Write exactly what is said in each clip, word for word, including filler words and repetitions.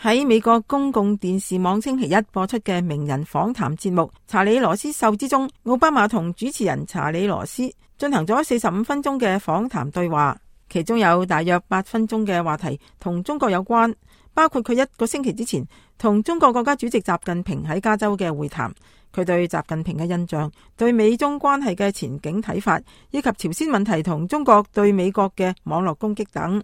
喺美國公共電視網星期一播出嘅名人訪談節目《查理羅斯秀》之中，奧巴馬同主持人查理羅斯進行咗四十五分鐘嘅訪談對話，其中有大約八分鐘嘅話題同中國有關，包括佢一個星期之前同中國國家主席習近平喺加州嘅會談，佢對習近平嘅印象、對美中關係嘅前景睇法，以及朝鮮問題同中國對美國嘅網絡攻擊等。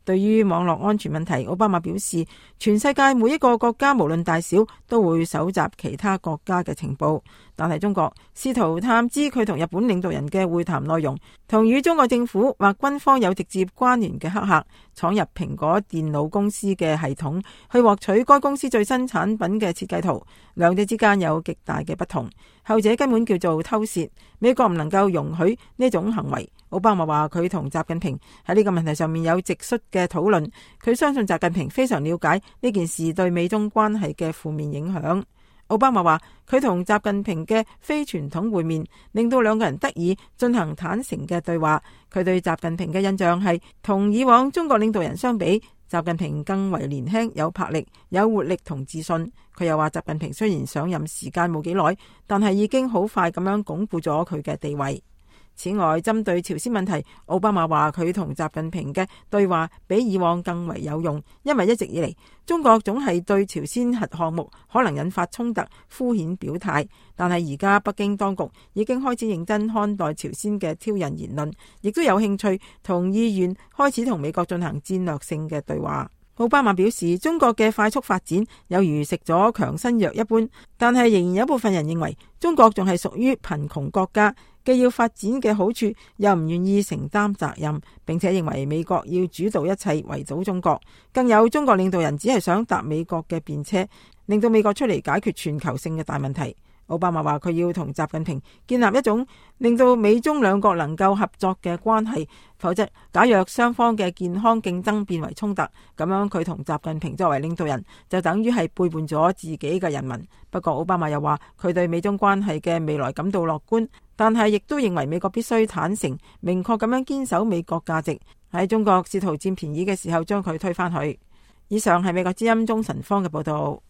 對於網絡安全問題，奧巴馬表示，全世界每一個國家無論大小都會搜集其他國家嘅情報，但係中國試圖探知佢同日本領導人嘅會談內容，同與中國政府或軍方有直接關聯嘅黑客闖入蘋果電腦公司嘅系統，去獲取該公司最新產品嘅設計圖，兩者之間有極大嘅不同，後者根本叫做偷竊，美國唔能夠容許呢種行為。奧巴馬話佢同習近平喺呢個問題上面有直率嘅討論，佢相信習近平非常了解呢件事對美中關係嘅負面影響。奧巴馬話佢同習近平嘅非傳統會面令到兩個人得以進行坦誠嘅對話，佢對習近平嘅印象係同以往中國領導人相比，習近平更為年輕、有魄力、有活力同自信。佢又話習近平雖然上任時間冇幾耐，但係已經好快咁樣鞏固咗佢嘅地位。此外，針對朝鮮問題，奧巴馬話佢同習近平嘅對話比以往更為有用，因為一直以嚟中國總係對朝鮮核項目可能引發衝突敷衍表態，但係而家北京當局已經開始認真看待朝鮮嘅挑釁言論，亦都有興趣同意願開始同美國進行戰略性嘅對話。奧巴馬表示，中國嘅快速發展有如食咗強身藥一般，但係仍然有部分人認為中國仲係屬於貧窮國家，既要發展嘅好處，又唔願意承擔責任，並且認為美國要主導一切圍堵中國。更有中國領導人只係想搭美國嘅便車，令到美國出嚟解決全球性嘅大問題。奧巴馬話佢要同習近平建立一種令到美中兩國能夠合作嘅關係，否則假若雙方嘅健康競爭變為衝突，咁樣佢同習近平作為領導人就等於係背叛咗自己嘅人民。不過奧巴馬又話佢對美中關係嘅未來感到樂觀，但係亦都認為美國必須坦誠明確咁樣堅守美國價值，喺中國試圖佔便宜嘅時候將佢推返去。以上係美國之音中神方嘅報道。